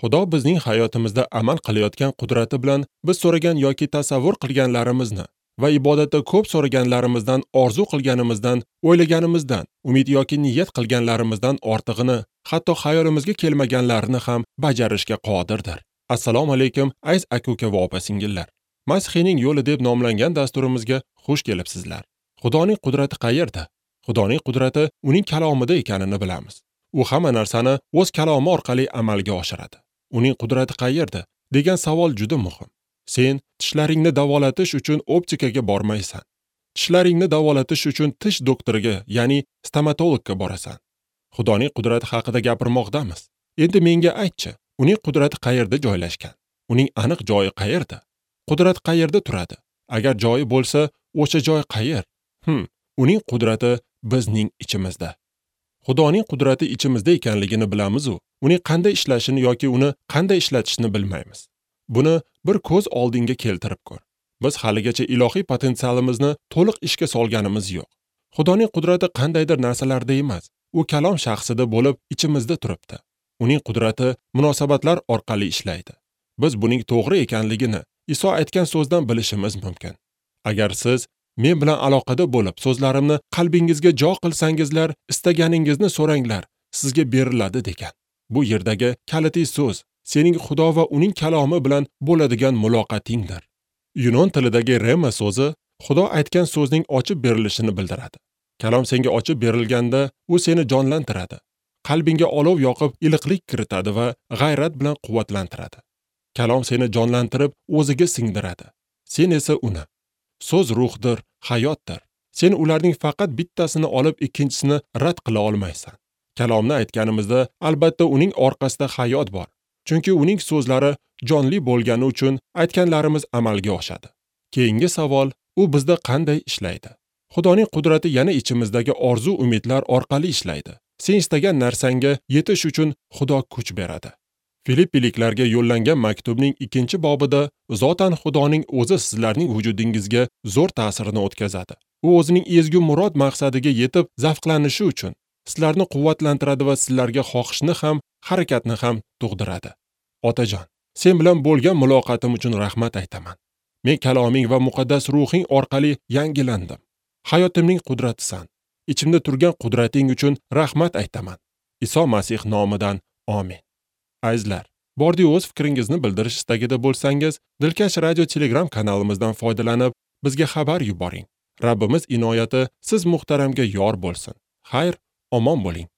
Xudo bizning hayotimizda amal qilayotgan qudrati bilan biz so'ragan yoki tasavvur qilganlarimizni va ibodatda ko'p so'raganlarimizdan, orzu qilganimizdan, o'ylaganimizdan, umid yoki niyat qilganlarimizdan ortig'ini, hatto xayolimizga kelmaganlarini ham bajarishga qodirdir. Assalomu alaykum, aziz aka-uka va opa-singillar. Masihiyning yo'li deb nomlangan dasturimizga xush kelibsizlar. Xudoning qudrati qayerda? Xudoning qudrati uning kalomida ekanini bilamiz. U hamma narsani o'z kalomi orqali amalga oshiradi. Uning qudrati qayerda degan savol juda muhim. Sen tishlaringni davolatish uchun optikaga bormaysan. Tishlaringni davolatish uchun tish doktoriga, ya'ni stomatologga borasan. Xudoning qudrati haqida gapirmoqdamiz. Endi menga aytchi, uning qudrati qayerda joylashgan? Uning aniq joyi qayerda? Qudrat qayerda turadi? Agar joyi bo'lsa, o'sha joy qayer? Uning qudrati bizning ichimizda. Xudoning qudrati ichimizda ekanligini bilamiz-u, uning qanday ishlashini yoki uni qanday ishlatishni bilmaymiz. Buni bir ko'z oldinga keltirib ko'r. Biz haligacha ilohiy potensialimizni to'liq ishga solganimiz yo'q. Xudoning qudrati qandaydir narsalarda emas, u kalom shaxsida bo'lib ichimizda turibdi. Uning qudrati munosabatlar orqali ishlaydi. Biz buning to'g'ri ekanligini Iso aytgan so'zdan bilishimiz mumkin. Agar siz men bilan aloqada bo'lib, so'zlarimni qalbingizga jo qilsangizlar, istaganingizni so'ranglar, sizga beriladi degan. Bu yerdagi kalitiy so'z sening Xudo va uning kalomi bilan bo'ladigan muloqotingdir. Yunon tilidagi rema so'zi Xudo aytgan so'zning ochib berilishini bildiradi. Kalom senga ochib berilganda, u seni jonlantiradi. Qalbingga olov yoqib, iliqlik kiritadi va g'ayrat bilan quvvatlantiradi. Kalom seni jonlantirib, o'ziga singdiradi. Sen esa uni. So'z ruhdir, hayotdir. Sen ularning faqat bittasini olib, ikkinchisini rad qila olmaysan. Kalomni aytganimizda, albatta uning orqasida hayot bor. Chunki uning so'zlari jonli bo'lgani uchun aytganlarimiz amalga oshadi. Keyingi savol, u bizda qanday ishlaydi? Xudoning qudrati yana ichimizdagi orzu umidlar orqali ishlaydi. Sen istagan narsangga yetish uchun Xudo kuch beradi. Filippiliklarga yo'llangan maktubning 2-bobida zotan Xudoning o'zi sizlarning vujudingizga zo'r ta'sirini o'tkazadi. U o'zining ezgu murod maqsadiga yetib zavqlanishi uchun sizlarni quvvatlantiradi va sizlarga xohishni ham, harakatni ham tug'diradi. Otajon, sen bilan bo'lgan muloqotim uchun rahmat aytaman. Men kaloming va muqaddas ruhing orqali yangilandim. Hayotimning qudratisan. Ichimda turgan qudrating uchun rahmat aytaman. Iso Masih nomidan amin. Azizlar, bordi o'z fikringizni bildirish istagida bo'lsangiz, Dilkash Radio Telegram kanalimizdan foydalanib, bizga xabar yuboring. Rabbimiz inoyati siz muhtaramga yor bo'lsin. Xayr, omon bo'ling.